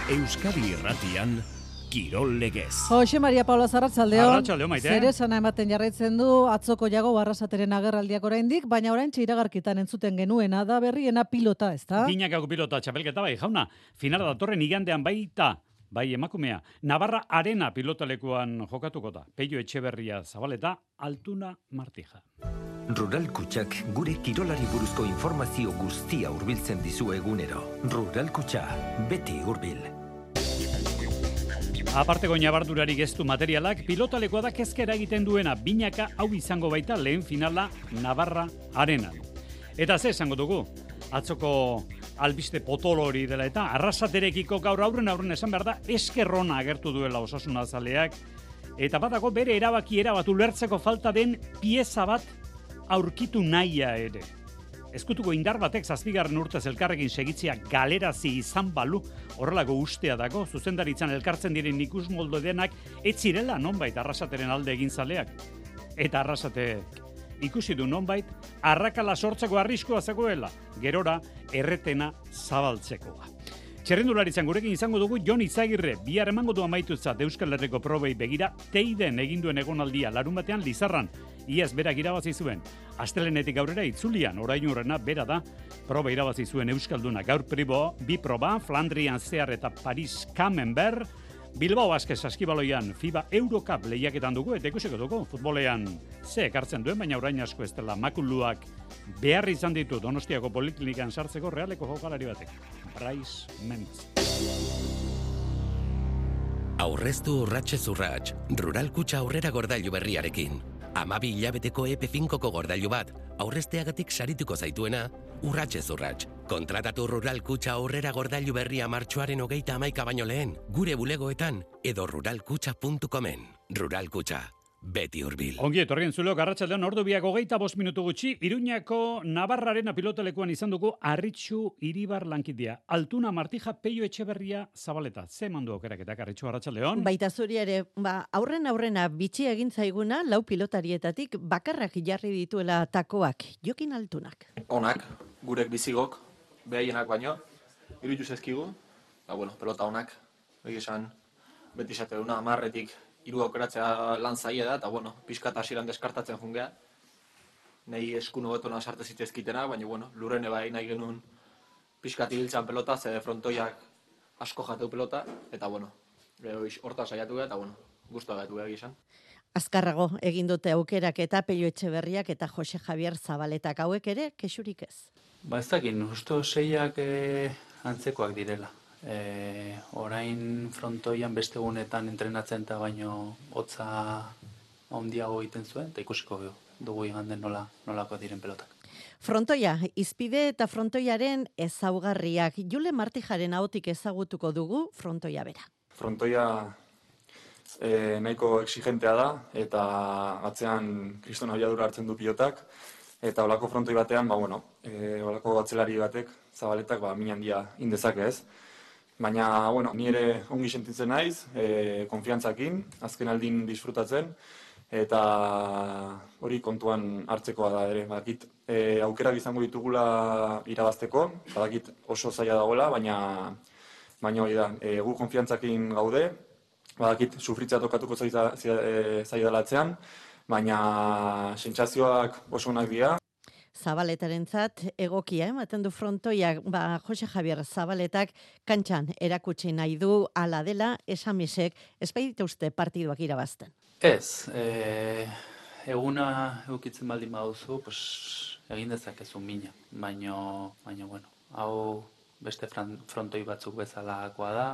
Euskadi Irratian, Kirol Legez. Jose Maria Paula Arratsaldeon. Arratsaldeon, Maite. Zer esana ematen jarraitzen du atzoko Jago Arrasateren agerraldiak oraindik, baina oraintxe iragarkitan entzuten genuena da berriena pilota, ezta? Binakako pilota txapelketa bai, jauna. Finala datorren igandean baita, bai emakumea. Navarra Arena pilotalekuan jokatuko da. Peio Etxeberria Zabaleta, Altuna Martija. Rural Kutxak gure kirolari buruzko informazio guztia hurbiltzen dizu egunero. Rural Kutxa, beti hurbil. Aparteko inabardurari geztu materialak, pilotalekoa da kezkera egiten duena, binaka hau izango baita lehen finala Navarra Arenan. Eta ze esango dugu, atzoko albiste potolo hori dela eta Arrasaterekiko gaur aurren esan behar da eskerrona agertu duela Osasuna zaleak, eta badago bere erabatu lertzeko falta den pieza bat aurkitu nahia ere. Ezkutuko indar batek 7. urtez elkarrekin segitzea galerazi izan balu, horrelako ustea dago, zuzendaritzan elkartzen diren ikusmoldo denak, ez zirela nonbait Arrasateren alde egin zaleak. Eta Arrasatek ikusi du nonbait, arrakala sortzeko arriskoa zegoela, gerora erretena zabaltzekoa. Txerrendularitzan gurekin izango dugu Jon Izagirre, bihar emango du amaitutzat Euskal Herriko probei begira, teiden eginduen egonaldia larunbatean Lizarran, iaz berak irabazi zuen. Astelenetik aurrera itzulian, orain urrena bera da, proba irabazi zuen Euskalduna gaur bi proba, Flandrian zehar eta Paris Camembert, Bilbao Basket saskibaloian FIBA Eurocup lehiaketan dugu, eta ikusiko dugu, futbolean ze ekartzen duen, baina orain asko ez dela makuluak behar izan ditu Donostiako Poliklinikan sartzeko Realeko jokalari batek. Bryce Memphis. Aurreztu urratxez urrats, Rural Kutxa aurrera gordailu berriarekin. 12 hilabeteko EP5ko gordailu bat, aurrezteagatik sarituko zaituena, urratxez urrats. Kontratatu Rural Kutxa aurrera gordailu berria martxoaren 31 baino lehen, gure bulegoetan edo ruralkutxa.comen. Rural Kutxa, beti hurbil. Ongi etorrien zuleok arratsaldean ordu biak 25 minutu gutxi, Iruñako Navarraren pilotalekuan izan dugu Arritxu Iribar lankidea. Altuna Martija, Peio Etxeberria Zabaleta. Ze mandu okeraketak Arritxu arratsaldeon? Baita zuri ere, aurrena bitxi egin zaiguna lau pilotarietatik bakarrak jarri dituela takoak. Jokin Altunak. Onak, gurek bizigok, behaienak baino, iruditu zezkigu, pelota onak, esan beti esate duna, 10etik 3 aukeratzea lan zaila da, eta pixkat hasieran deskartatzen jungea. Nahi eskuno betona sarte zitezkitena, baina lurrene bai nahi genuen pixkat ibiltzan pelota, ze frontoiak asko jateu pelota, eta horta saiatu gara, eta guztua gaitu gara gizan. Azkarrago egin dute aukerak eta Peio Etxeberriak eta Jose Javier Zabaletak hauek ere, kexurik ez. Ez dakin, usto 6ak antzekoak direla. Orain frontoian beste gunetan entrenatzen eta baino hotza handiago egiten zuen, eta ikusiko dugu iganden nolako diren pelotak. Frontoia, izpide eta frontoiaren ezaugarriak. Jule Martijaren ahotik ezagutuko dugu frontoia bera. Frontoia nahiko exigentea da, eta atzean kriston abiadura hartzen du pilotak, eta olako frontoi batean, olako atzelari batek, Zabaletak, min handia indezake ez. Baina, ni ere ongi sentitzen naiz, konfiantzakin, azken aldin disfrutatzen, eta hori kontuan hartzekoa da ere. Badakit, aukerak izango ditugula irabazteko, badakit oso zaila dagoela, baina hori da, gu konfiantzakin gaude, badakit sufritzea tokatuko zaidalatzean, baina sentsazioak oso onak dira. Zabaletarentzat egokia ematen du frontoiak, Jose Javier Zabaletak kantxan erakutsi nahi du ala dela esamisek, ez baita uste partiduak irabazten. Ez, eguna eukitzen baldin baduzu, egin dezakezu mina, baina hau beste frontoi batzuk bezalakoa da,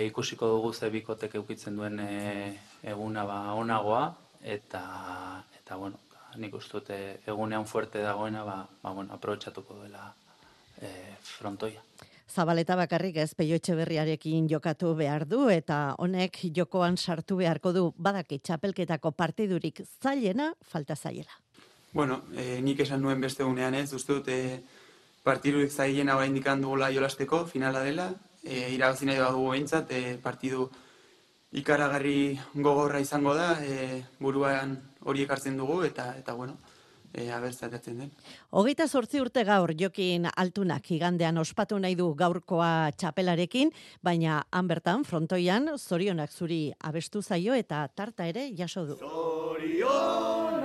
ikusiko dugu ze bikotek eukitzen duen eguna onagoa, eta nik uste dut egunean fuerte dagoena, aprobetxatuko duela frontoia. Zabaleta bakarrik ez Peio Etxeberriarekin jokatu behar du, eta honek jokoan sartu beharko du, badaki txapelketako partidurik zailena, falta zaiela. Nik esan nuen beste egunean ez, uste dut partidurik zailena oraindik dugula jolasteko, finala dela, irabazi nahi badugu behintzat, partidu ikaragarri gogorra izango da, buruan hori ekartzen dugu, eta abertzaratzen den. 28 urte gaur Jokin Altunak igandean ospatu nahi du gaurkoa txapelarekin, baina han bertan frontoian zorionak zuri abestu zaio eta tarta ere jaso du. Zorionak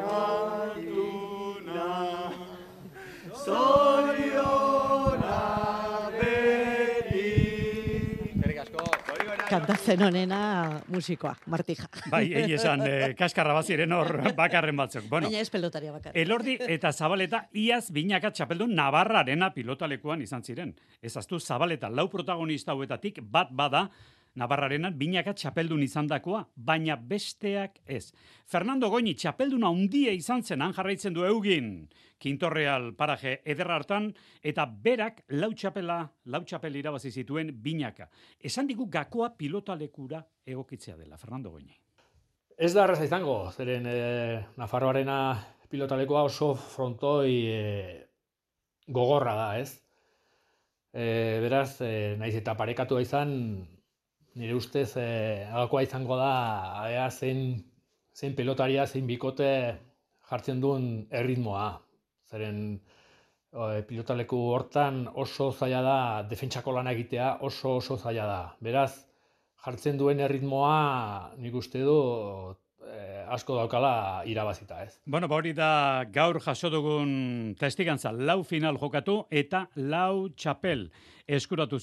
Altuna, zorionak beti. Eskerrik asko. Kantatzen honena musikoa, Martija. Bai, esan, kaskarra baziren hor bakarren batzuk. Bueno, baina ez pelotaria bakarrik. Elordi eta Zabaleta iaz binaka txapeldun Navarrarena pilotalekuan izan ziren. Ezaztu Zabaleta lau protagonista hauetatik bat bada Navarrarenan binaka txapeldun izandakoa, baina besteak ez. Fernando Goñi txapelduna handia izan zen, han jarraitzen du Eugin, Kintorreal paraje eder hartan, eta berak lau txapel irabazi zituen binaka. Esan digu gakoa pilotalekura egokitzea dela, Fernando Goñi. Ez da erraza izango, zeren Nafarroarena pilotalekoa oso frontoi gogorra da, ez? Beraz, naiz eta parekatua izan, nire ustez agakoa izango da zein pilotaria, zein bikote jartzen duen erritmoa. Zeren pilotaleku hortan oso zaila da, defentsako lana egitea oso zaila da. Beraz, jartzen duen erritmoa nik uste du asko daukala irabazita, ez? Bueno, hori da gaur jaso dugun testigantza, lau final jokatu eta lau txapel eskuratu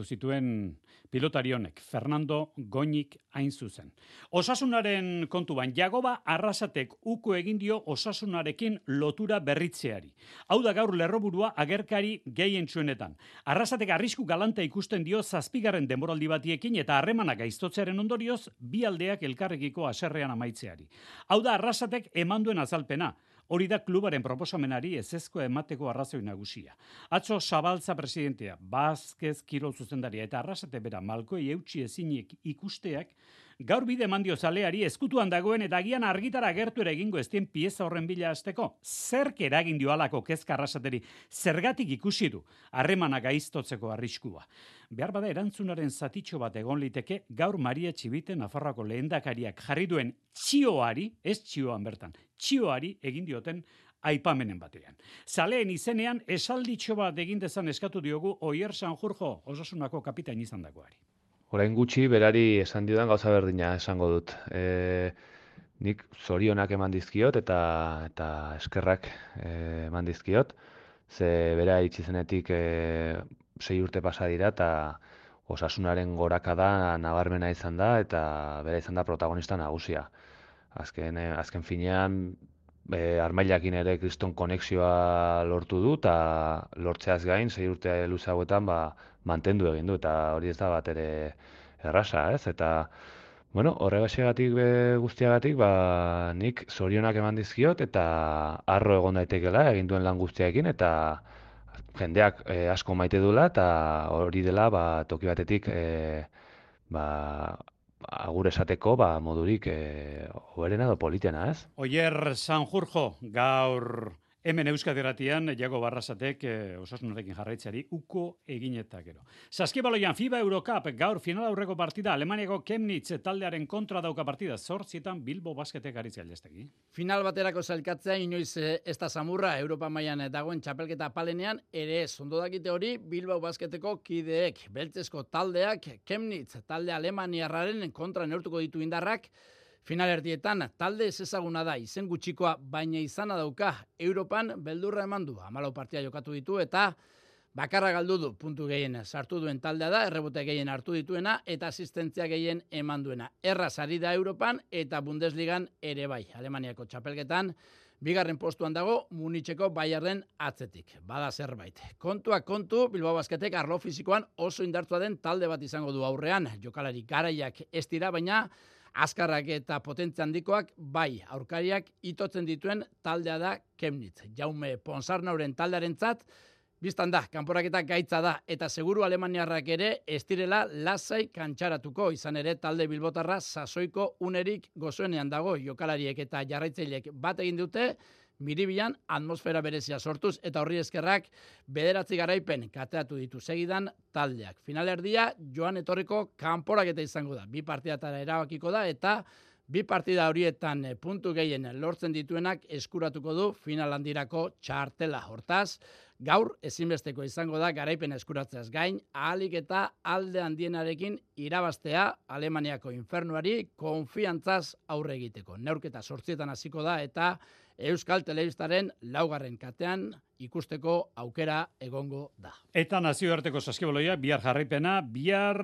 zituen pilotari honek, Fernando Goñik hain zuzen. Osasunaren kontuan, Jagoba Arrasatek uko egin dio osasunarekin lotura berritzeari. Hau da gaur lerroburua agerkari gehien txuenetan. Arrasatek arrisku galanta ikusten dio 7. denboraldi batiekin eta harremanak gaiztotzearen ondorioz bi aldeak elkarrekiko haserrean amaitzeari. Hau da Arrasatek eman duen azalpena. Hori da klubaren proposamenari ezezkoa emateko arrazoi nagusia. Atzo Zabaltza presidentea, Vázquez kirol zuzendaria eta Arrasate bera malkoi eutsi ezinik ikusteak, gaur bide emandio zaleari ezkutuan dagoen eta agian argitara agertu ere egingo eztien pieza horren bila hasteko. Zerk eragin dio halako kezka Arrasateri, zergatik ikusi du harremana gaiztotzeko arriskua. Behar bada erantzunaren zatitxo bat egon liteke gaur Maria Txibite Nafarroako lehendakariak jarri duen txioari, ez txioan bertan, txioari egin dioten aipamenen batean. Zaleen izenean esalditxo bat egin dezan eskatu diogu Oier Sanjurjo, Osasunako kapitain izandakoari. Orain gutxi berari esan diodan gauza berdina esango dut. Nik zorionak eman dizkiot eta eskerrak eman dizkiot. Ze bera itxizenetik 6 urte pasa dira eta osasunaren gorakada nabarmena izan da eta bera izan da protagonista nagusia. Azken finean Armailakin ere kriston konexioa lortu du eta lortzeaz gain 6 urte luze hauetan mantendu egin du eta hori ez da bat ere erraza, ez? Eta horregatik guztiagatik nik zorionak eman dizkiot eta harro egon daitekela egin duen lan guztiaekin eta jendeak asko maite duela eta hori dela toki batetik agur esateko modurik hoberena edo politena, ez? Oier Sanjurjo, gaur hemen Euskadi Irratian Jagoba Arrasatek osasunarekin jarraitzeari uko egineta gero. Saskibaloian FIBA Eurocup gaur final aurreko partida Alemaniako Chemnitz taldearen kontra dauka partida 8 Bilbo Basketek aritzea Aldestegi. Final baterako zailkatzea inoiz ez da samurra Europa mailan dagoen txapelketa palenean ere ez ondo dakite hori Bilbao Basketeko kideek beltzezko taldeak Chemnitz talde alemaniarraren kontra neurtuko ditu indarrak. Finalerdietan talde ezezaguna da izen gutxikoa baina izana dauka Europan beldurra eman du 14 partida jokatu ditu eta bakarra galdu du puntu gehien sartu duen taldea da errebote gehien hartu dituena eta asistentzia gehien eman duena. Erraz ari da Europan eta Bundesligan ere bai. Alemaniako txapelketan bigarren postuan dago Munitzeko Bayernen atzetik. Bada zerbait. Kontuak kontu Bilbao Basketek arlo fisikoan oso indartua den talde bat izango du aurrean. Jokalari garaiak ez dira baina azkarrak eta potentzia handikoak bai, aurkariak itotzen dituen taldea da Chemnitz. Jaume Ponsarnauren taldearentzat biztan da, kanporaketa gaitza da eta seguru alemaniarrak ere ez direla lasai kantxaratuko izan ere talde bilbotarra sasoiko unerik gozoenean dago jokalariek eta jarraitzaileek bat egin dute Miribilan atmosfera berezia sortuz eta horri eskerrak 9 garaipen kateatu ditu segidan taldeak. Finalerdia joan etorriko kanporaketa izango da. 2 partidatara erabakiko da eta Bi partida horietan puntu gehien lortzen dituenak eskuratuko du final handirako txartela. Hortaz, gaur ezinbesteko izango da garaipen eskuratzeaz gain, ahalik eta alde handienarekin irabaztea Alemaniako infernuari konfiantzaz aurre egiteko. Neurketa 8 hasiko da eta Euskal Telebistaren 4. katean ikusteko aukera egongo da. Eta nazioarteko saskibaloia, bihar jarraipena, bihar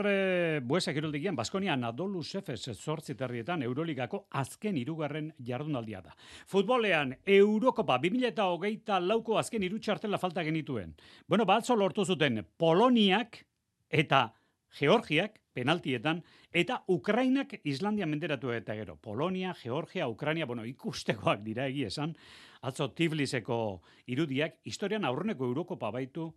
Buesa kiroldegian Baskonia Anadolu Efes 8:30 Euroligako azken 3. jardunaldia da. Futbolean Eurokopa 2024ko azken 3 txartela falta genituen. Bueno, atzo lortu zuten Poloniak eta Georgiak penaltietan, eta Ukrainak Islandia menderatu eta gero. Polonia, Georgia, Ukraina, ikustekoak dira egia esan, atzo Tifliseko irudiak, historian aurreneko Eurokopa baitu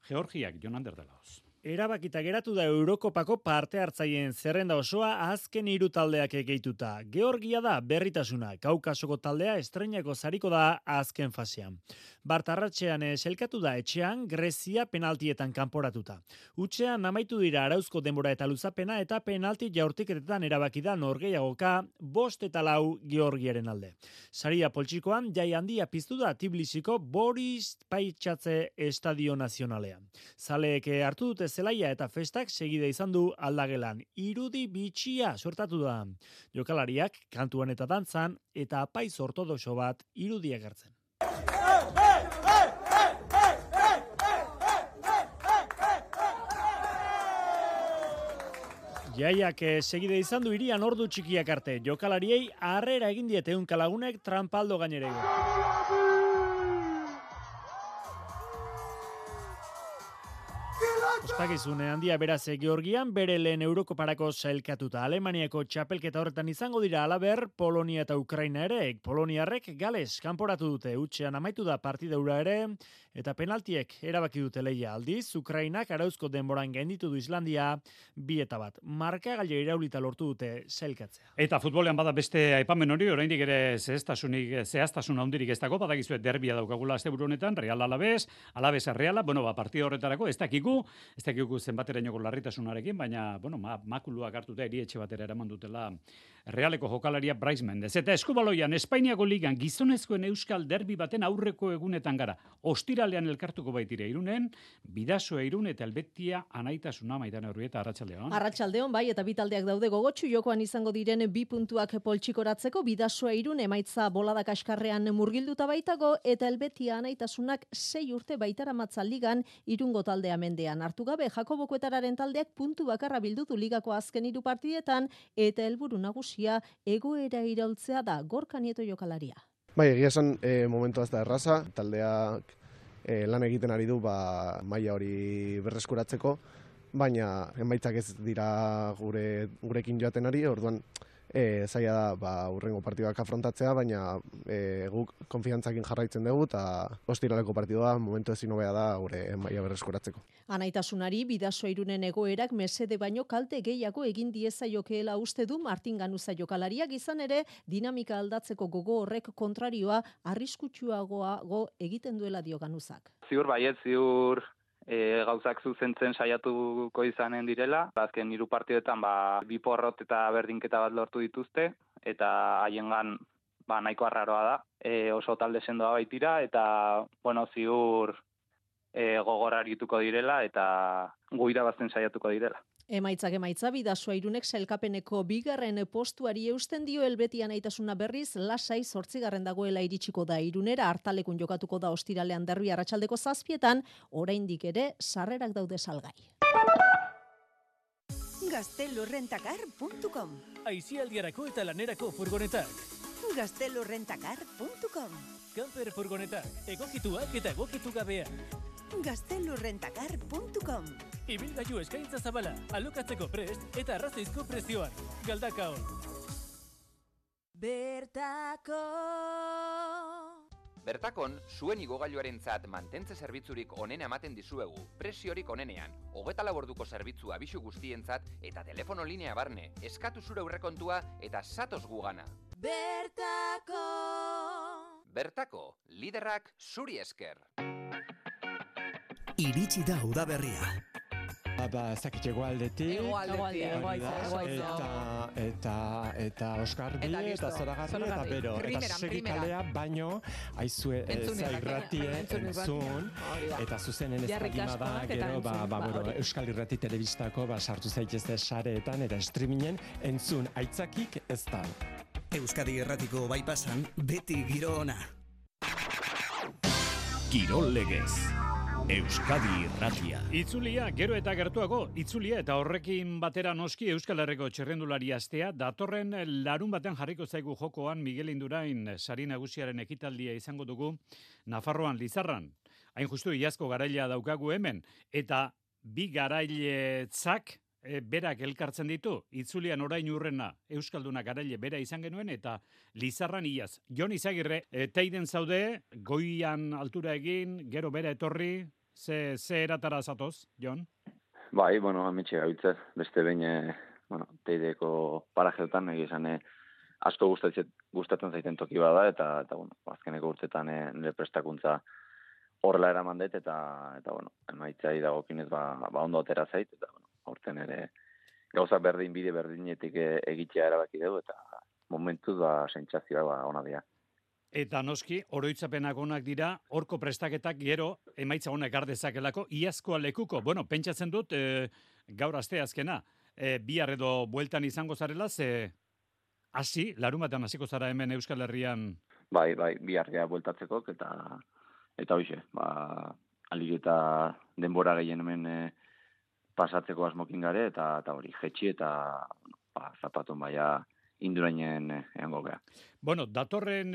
Georgiak, Jon Ander Delaoz. Erabakita geratu da Eurokopako parte hartzaileen zerrenda osoa azken 3 taldeak gehituta. Georgia da berritasuna, Kaukasoko taldea estreinako sariko da azken fasean. Bartarratxean selkatu da etxean Grezia penaltietan kanporatuta. Hutsean amaitu dira arauzko denbora eta luzapena eta penalti jaurtiketetan erabaki da norgehiagoka 5-4 Georgiaren alde. Saria poltsikoan jai handia piztu da Tbilisiko Boris Paitxatze Estadio Nazionalean. Zaleek hartu dute zelaia eta festak segida izan du aldagelan. Irudi bitxia sortatu da. Jokalariak kantuan eta dantzan eta apaiz ortodoxo bat irudiak hartzen. Jaiak segide izan du hirian ordu txikiak arte. Jokalariei harrera egin diete unkalagunek trampaldo gainerego. Ospakizune handia beraz Georgian bere lehen Eurokoparako sailkatuta. Alemaniako txapelketa horretan izango dira halaber Polonia eta Ukraina ere. Poloniarrek Gales kanporatu dute, hutsean amaitu da partida hura ere, eta penaltiek erabaki dute lehia. Aldiz, Ukrainak arauzko denboran gainditu du Islandia 2-1. Markagailua iraulita lortu dute sailkatzea. Eta futbolean bada beste aipamen hori, oraindik ere zehaztasun handirik ez dago, badakizue derbia daukagula asteburu honetan, Real Alavés, Alavesa Reala, partida horretarako ez dakigu zenbaterainoko larritasunarekin, baina, makuluak hartuta erietxe batera eraman dutela Realeko jokalaria Brais Mendez. Eta eskubaloian, Espainiako ligan gizonezkoen euskal derbi baten aurreko egunetan gara. Ostiralean elkartuko baitire Irunen, Bidasoa Irun eta Helvetia Anaitasuna Maitane Urbieta, arratsaldeon. Arratsaldeon bai, eta bi taldeak daude gogotsu jokoan izango diren 2 puntuak poltsikoratzeko. Bidasoa Irun emaitza bolada kaskarrean murgilduta baitago eta Helvetia Anaitasunak 6 urte baitaramatza ligan Irungo taldea mendean hartu gabe. Jakobokoetararen taldeak puntu bakarra bildutu ligako azken 3 partidetan eta helburu nagusia egoera iraultzea da. Gorka Nieto jokalaria. Bai, egia esan momentua ez da erraza, taldeak lan egiten ari du maila hori berreskuratzeko, baina emaitzak ez dira gurekin joaten ari, orduan zaila da hurrengo partiduak afrontatzea, baina guk konfiantzakin jarraitzen dugu eta ostiraleko partidua momentu ezin hobea da gure maila berreskuratzeko. Anaitasunari Bidasoa Irunen egoerak mesede baino kalte gehiago egin diezaiokeela uste du Martin Ganuza jokalariak, izan ere dinamika aldatzeko gogo horrek kontrarioa arriskutsuagoa egiten duela dio Ganuzak. Ziur baiet, ziur gauzak zuzentzen saiatuko izanen direla. Azken 3 partidetan 2 porrot eta berdinketa bat lortu dituzte, eta haiengan nahiko arraroa da. Oso talde sendoa baitira, eta ziur gogor arituko direla, eta gu irabazten saiatuko direla. Emaitza Bidasoa Irunek sailkapeneko 2. postuari eusten dio. Helvetia Anaitasuna berriz lasai 8. dagoela iritsiko da Irunera. Hartalekun jokatuko da ostiralean derbi arratsaldeko 7:00, oraindik ere sarrerak daude salgai. Gaztelurrentacar.com Aisialdiarako eta lanerako furgonetak. Gaztelurrentacar.com Camper furgonetak, egokituak eta egokitu gabeak. Gaztelurrentacar.com Ibilgailu eskaintza zabala, alokatzeko prest eta arrazoizko prezioan. Galdakao. Bertakon, zuen igogailuarentzat mantentze zerbitzurik onena ematen dizuegu, presiorik onenean, 24 orduko zerbitzua abisu guztientzat eta telefono linea barne, eskatu zure aurrekontua eta zatoz gugana. Bertako, liderrak zuri esker. Iritsi da udaberria. Zakit egoaldetik. Eta Oskarbi, eta Zoragarri, eta Bero. Eta segikalea baino, aizue irratie entzun, eta zuzenen ez dagima da, gero, Euskal Irrati Telebistako sartu zaitezte sareetan, eta streamingen entzun aitzakik ez da. Euskadi Irratiko bypassan beti giro ona. Kirol legez. Euskadi Irratia. Itzulia, gero eta gertuago, itzulia eta horrekin batera noski Euskal Herriko txerrendulari astea, datorren larun batean jarriko zaigu jokoan Miguel Indurain sari nagusiaren ekitaldia izango dugu Nafarroan Lizarran. Hain justu iazko garailea daukagu hemen, eta bi garailetzak berak elkartzen ditu, itzulian orain urrena Euskalduna garaile bera izan genuen, eta Lizarran iaz. Jon Izagirre, teiden zaude, goian altura egin, gero bera etorri, ze eratara zatoz, Jon? Bai, ametxe gabiltze, beste behin, teideko parajeotan, egizan, asko gustatzen zaiten toki bada, eta azkeneko urtetan nire prestakuntza horrela eraman dut, eta emaitzai dagokinez, ondo atera zait, eta, aurten ere gauza bide berdinetik egitea erabaki dugu, eta momentuz sentsazioa ona dira. Eta noski, oroitzapenak onak dira, horko prestaketak gero emaitza honak gardezakelako, iazkoa lekuko. Pentsatzen dut, gaur aste azkena, bihar edo bueltan izango zarela, ze hasi, larumatean hasiko zara hemen Euskal Herrian? Bai, bihar gea bueltatzeko, eta hoxe, alik eta denbora gehien hemen pasatzeko asmokin gare, eta hori, jetxi eta zapatun baia Indurainen eango gea. Datorren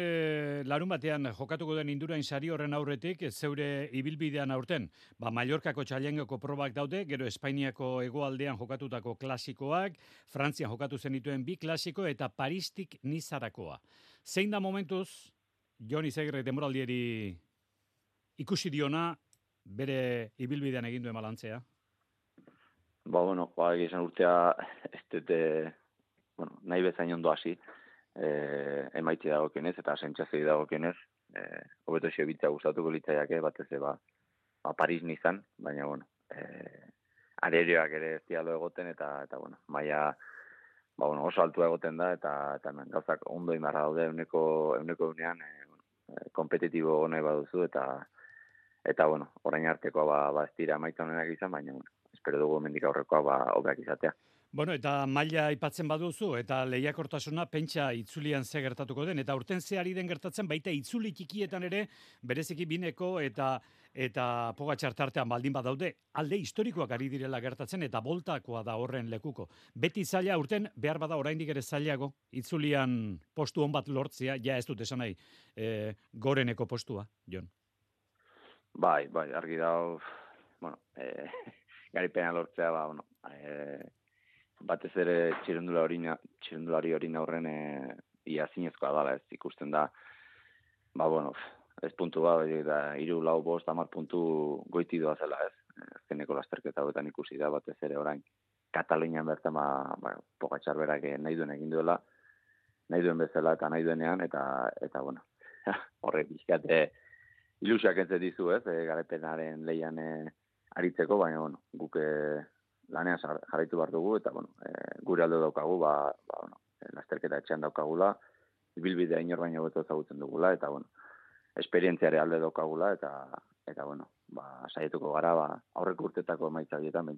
larun batean jokatuko den Indurain sari horren aurretik, zeure ibilbidean aurten, Mallorcako txailengoko probak daude, gero Espainiako hegoaldean jokatutako klasikoak, Frantzian jokatu zenituen bi klasiko, eta Paristik Nizarakoa. Zein da momentuz, Jon Izagirre denboraldieri ikusi diona, bere ibilbidean egin duen balantzea? Egizan urtea, ez dute, nahi bezain ondo hasi, emaitzi dagokienez, eta sentsazio dagokienez, hobeto xebitza gustatuko litzaiake, batez Paris Nizan, baina, arereoak ere ez dialo egoten, eta maila, oso altua egoten da, eta gauzak ondo imarra daude, euneko unean, kompetitibo nahi baduzu, eta orain artekoa ez dira emaitza honenak izan, baina, espero dugu mendik aurrekoa hobeak izatea. Eta maila aipatzen baduzu, eta lehiakortasuna pentsa itzulian ze gertatuko den, eta urten ze den gertatzen, baita itzuli txikietan ere, bereziki bineko eta Pogačar tartean baldin badaude, alde historikoak ari direla gertatzen, eta boltakoa da horren lekuko. Beti zaila urten, behar bada oraindik ere zailago, itzulian postu on bat lortzea, ja ez dut esan nahi, goreneko postua, Jon. Bai, argi dago, garipena lortzea, batez ere txirrendulari hori aurren ia zinezkoa dala, ez ikusten da, ez puntu eta 3, 4, 5, 10 puntu goiti doa zela, ez. Azkeneko lasterketa hauetan ikusi da, batez ere orain Katalunian bertan Pogačar berak nahi duen egin duela, nahi duen bezala eta nahi duenean, eta horrek bizkate ilusiak entzet dizu, ez, garapenaren lehian aritzeko, baina, guk lanean jarraitu behar dugu, eta, gure alde daukagu, lasterketa etxean daukagula, ibilbidea inor baino beto ezagutzen dugula, eta, esperientziare alde daukagula, eta saietuko gara, aurreko urtetako emaitza bietan,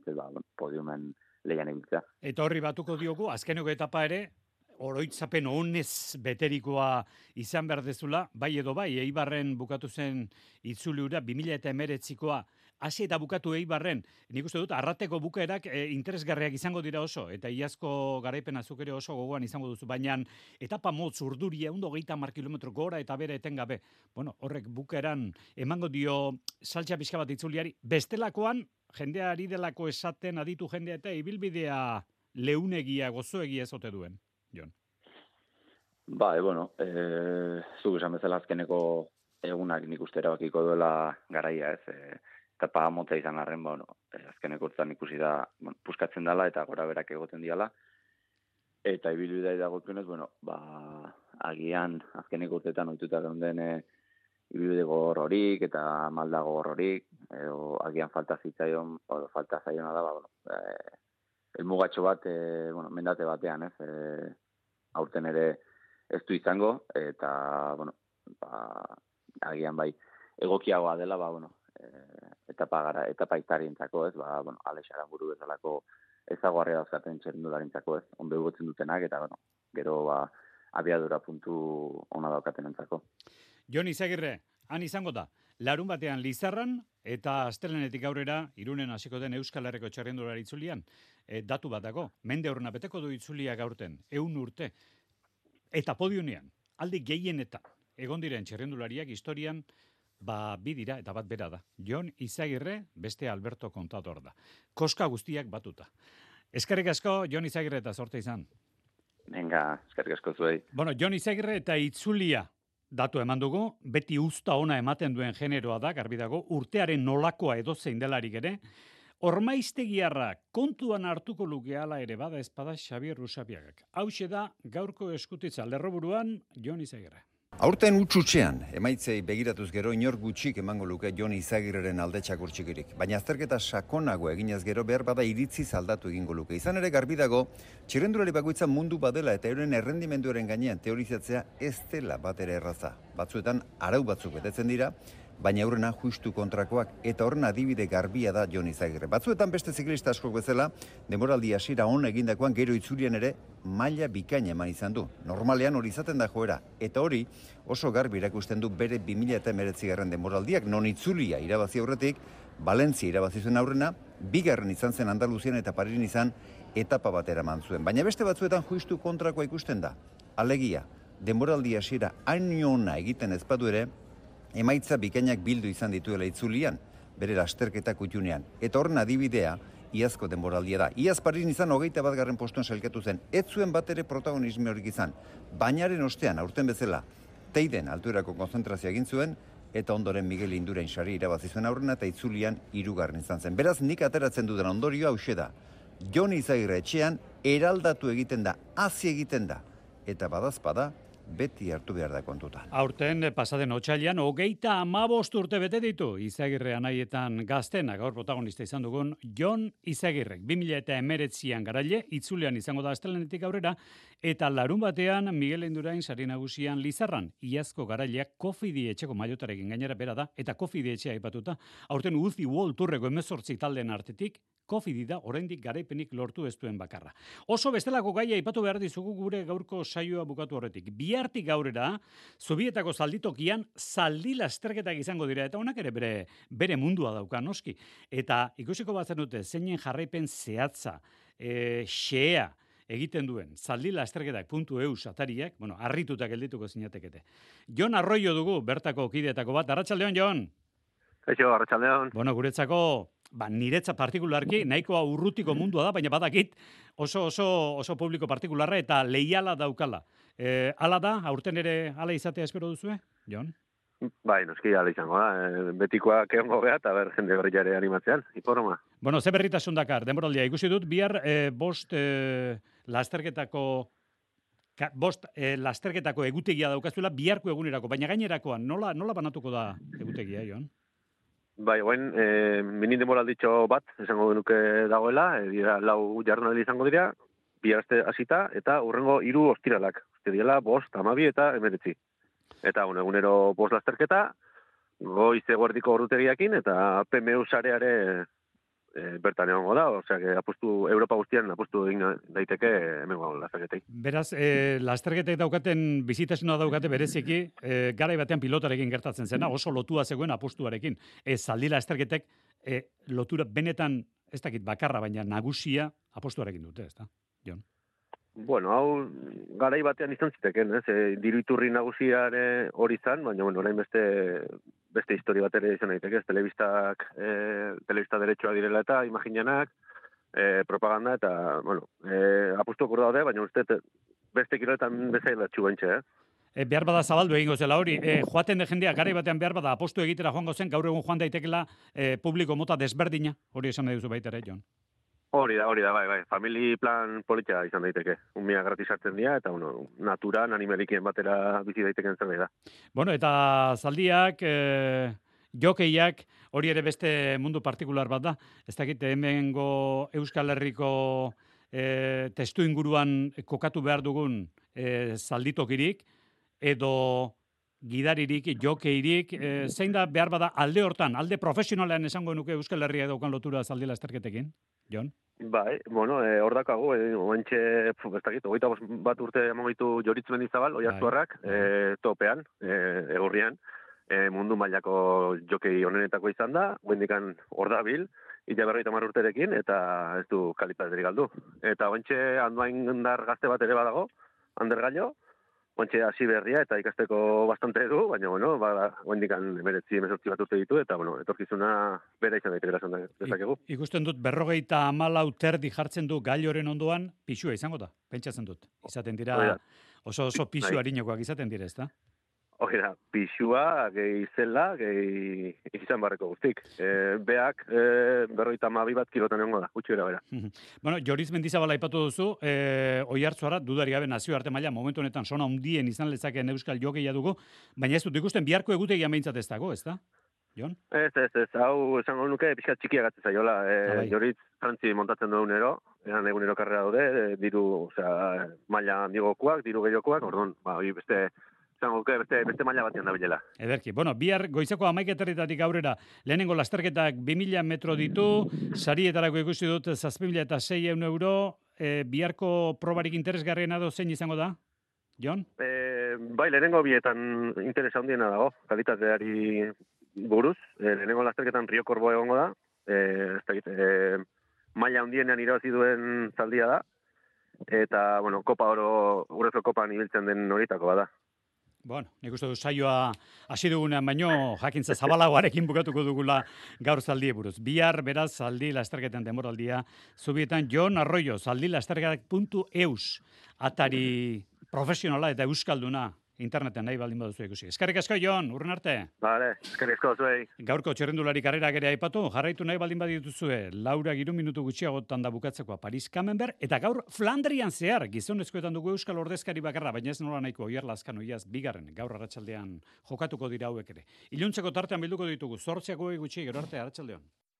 podiumen lehian ibiltzea. Eta horri batuko diogu, azkeneko etapa ere, oroitzapen honez beterikoa izan behar dezula, bai edo bai, Eibarren bukatu zen itzuliura, 2019koa, hasi eta bukatu Eibarren, nik uste dut, arrateko bukaerak interesgarriak izango dira oso, eta iazko garaipen azuk ere oso gogoan izango duzu, baina etapa motz urduria, 130 kilometro gora eta bere etengabe, horrek bukaeran emango dio saltxa pixka bat itzuliari, bestelakoan, jendea ari delako esaten aditu jendea eta ibilbidea leunegia, gozoegia ezote duen. Jon. Zuk esan bezala azkeneko egunak nik uste erabakiko duela garaia, ez, etapa motza izan arren, azkeneko urtean ikusi da, puskatzen dela eta gora berak egoten diala, eta ibilbidea dagokionez, agian azkeneko urteetan ohituta geunden ibide gogor horik eta malda gogor horik, edo agian falta zaiona da, elmugatxo bat, mendate batean, aurten ere ez du izango, eta, agian bai, egokiagoa dela, etapa itarientzako, Alex Aramburu bezalako ezaguarria dauzkaten txerrendularentzako, onbe ugotzen dutenak, eta, gero, abiadura puntu ona daukaten entzako. Jon Izagirre, han izango da, larun batean Lizarran, eta astelenetik aurrera, Irunen hasiko den Euskal Herriko txerrendulari itzulian, datu bat dago, mende horrena beteko du itzuliak aurten, 100 urte, eta podiunean, aldi gehienetan, egon diren txerrendulariak historian, bi dira eta bat bera da. Jon Izagirre, beste Alberto Contador da. Koska guztiak batuta. Eskerrik asko, Jon Izagirre eta zorte izan. Venga, eskerrik asko zuei. Jon Izagirre eta itzulia datu eman dugu, beti usta ona ematen duen generoa da, garbi dago, urtearen nolakoa edozein delarik ere, Ormaiztegiarra kontuan hartuko luke hala ere bada espada Xabier Rusabiagak. Hauxe da gaurko eskutitza lerroburuan Jon Izagirre. Aurten utxutxean, emaitzei begiratuz gero inor gutxik emango luke Jon Izagirreren alde txakurtxikirik. Baina azterketa sakonago eginez gero behar bada iritzi aldatu egingo luke. Izan ere garbi dago, txirrendulari bakoitza mundu badela eta euren errendimenduaren gainean teorizatzea ez dela batera erraza. Batzuetan arau batzuk betetzen dira, baina aurrena justu kontrakoak eta horren adibide garbia da Jon Izagirre. Batzuetan beste ziklista askok bezala, denboraldi hasiera on egindakoan gero itzulian ere maila bikaina eman izan du. Normalean hori izaten da joera, eta hori oso garbi erakusten du bere 2019 denboraldiak, non itzulia irabazi aurretik, Valentzia irabazi zuen aurrena, bigarren izan zen Andaluzian eta Parisin izan etapa batera eman zuen. Baina beste batzuetan justu kontrakoa ikusten da. Alegia, denboraldi hasiera hain ona egiten ez badu ere, emaitza bikainak bildu izan dituela itzulian, bere lasterketa kutxunean. Eta horren adibidea, iazko denboraldia da. Iaz Parisin izan 21. postuan sailkatu zen, ez zuen bat ere protagonisme horik izan. Bainaren ostean, aurten bezala, Teiden altuerako konzentrazioa egin zuen, eta ondoren Miguel Indurain sari irabazi zuen aurrena eta itzulian 3. izan zen. Beraz, nik ateratzen dudan ondorioa hauxe da. Jon Izagirre etxean eraldatu egiten da, hazi egiten da, eta badazpada, beti hartu behar da kontuta. Aurten pasaden otsailean 35 urte bete ditu Izagirre anaietan gaztena, gaur protagonista izan dugun Jon Izagirrek. 2019an garaile, itzulean izango da astelenetik aurrera, eta larun batean Miguel Indurain sari nagusian Lizarran. Iazko garaileak Kofidi etxeko maiotarekin gainera bera da, eta Kofidi etxea aipatuta. Aurten Uzi World Tourreko 18 taldeen artetik, Kofidi da oraindik garaipenik lortu ez duen bakarra. Oso bestelako gaia aipatu behar dizugu gure gaurko saioa bukatu horretik. Bihartik aurrera, Zubietako zalditokian zaldi lasterketak izango dira, eta honak ere bere mundua dauka noski. Eta ikusiko batzen dute, zeinen jarraipen zehatza, xea egiten duen, zaldi lasterketak.eu atariak, harritutak geldituko zinatekete. Jon Arroyo dugu, bertako kideetako bat. Arratsaldeon, Jon! Eixo, arratsaldeon. Guretzako, niretza partikularki, nahikoa urrutiko mundua da, baina badakit oso publiko partikularra eta leiala daukala. Hala da, aurten ere hala izatea espero duzue, Jon? Bai, noski hala izango da. Betikoak egongo beha, eta jende berriare animatzean, iporoma. Ze berritasun dakar, denboraldia ikusi dut, bihar bost lasterketako egutegia daukazuela biharko egunerako, baina gainerakoan nola banatuko da egutegia, Jon? Bai, guen, minin denboralditxo bat, esango genuke dagoela, dira 4 jardunaldi izango dira, bihar hasita, eta urrengo 3 ostiralak. Diela 5, 12 eta 19. Eta egunero 5 lasterketa, goiz eguerdiko ordutegiakin, eta PMU sareare bertan egongo da, osea, Europa guztian apustu egin daiteke hemengo lasterketei. Beraz, lasterketek daukaten, bizitasuna daukate bereziki, garai batean pilotarekin gertatzen zena, oso lotua zegoen apustuarekin. Zaldi lasterketek lotura benetan, ez dakit bakarra, baina nagusia apustuarekin dute, ez da, Jon? Bueno, hau garai batean izan ziteken, diru iturri nagusiare hori izan, baina orain beste historia bat ere izan daiteke, telebista derechua direla eta imaginanak, propaganda eta, apustuak hor daude, baina uste beste kiloetan bezaila txugaintxe, Behar bada zabaldu egingo zela hori, joaten de jendea garai batean behar bada apostu egitera joango zen, gaur egun joan daitekela publiko mota desberdina, hori esan nahi duzu baita ere, Jon? Hori da, bai. Famili plan politia izan daiteke. Umia gratis hartzen dira, eta, naturan, animalikien batera bizi daiteken zerbait da. Bueno, eta zaldiak, jokeiak, hori ere beste mundu partikular bat da. Ez dakit, hemengo Euskal Herriko testu inguruan kokatu behar dugun zalditokirik, edo gidaririk, jokeirik, zein da behar bada alde hortan, alde profesionalean esango nuke Euskal Herria daukan lotura zaldi lasterketekin, Jon? Bai, hor dakago, oantxe, ez dakit, 21 urte emangoitu Joritz Mendizabal, Oiartzuarrak, topean, egurrian, mundu mailako jokei onenetako izan da, guendikan hor dabil, ila 50 urterekin, eta ez du kalitaterik galdu. Eta oantxe, Andoaindar gazte bat ere badago, Ander Gallo, oantxe hasi berria eta ikasteko bastante du, baina, guendikan 19 bat urte ditu, eta, etorkizuna bera izan daiteke esan dezakegu. Ikusten dut, 54 terdi jartzen du Galloren ondoan, pixua izango da, pentsatzen dut. Izaten dira, oso pixu harinokoak izaten dira, ez da? Hori da, pixua, gehi zela, gehi izan barreko guztik. Beak, 52 bat kilotan egongo da, gutxi bera. Bueno, Joritz Mendizabal aipatu duzu, Oiartzuara, dudari gabe nazioarte maila, momentu honetan sona hundien izan lezakeen euskal jokeia dugu, baina ez dut ikusten biharko egutegia behintzat ez dago, ez da? Jon? Ez, hau esango nuke pixka txikia gatzen zaiola. Joritz frantzi montatzen duen ero, egunero karrera daude, diru, maila handigokoak, diru gehiokoak, orduan, beste beste maila batean da bilela. Ederki. Bueno, bihar goizeko 11:00 aurrera lehenengo lasterketak 2000 metro ditu, sarietarako ikusi dut 7.600 euro, biharko probarik interesgarriena do zein izango da? Jon? Bai, lehenengo bietan interesa handiena dago, kalitateari buruz. Lehenengo lasterketan Rio Korbo egongo da, maila handienean irabazi duen zaldia da, eta, Kopa Oro, Urrezko Kopan ibiltzen den horitako bada. Bueno, nik uste du saioa hasi dugunean baino jakintza zabalagoarekin bukatuko dugula gaur zaldie buruz. Bihar beraz zaldi lasterketen denboraldia zubietan Jon Arroyo, zaldilasterketak.eus atari profesionala eta euskalduna interneten nahi baldin baduzu ikusi. Eskerrik asko, Jon, urren arte. Vale, eskerrik asko zuei. Gaurko txerrendulari karrerak ere aipatu, jarraitu nahi baldin badituzue, Laura 3 minutu gutxiagotan da bukatzekoa Paris Camembert, eta gaur Flandrian zehar, gizonezkoetan dugu euskal ordezkari bakarra, baina ez nola nahiko Oier Lazkanoiaz bigarren, gaur arratsaldean jokatuko dira hauek ere. Iluntzeko tartean bilduko ditugu, 8 gutxi, gero arte arratsaldean.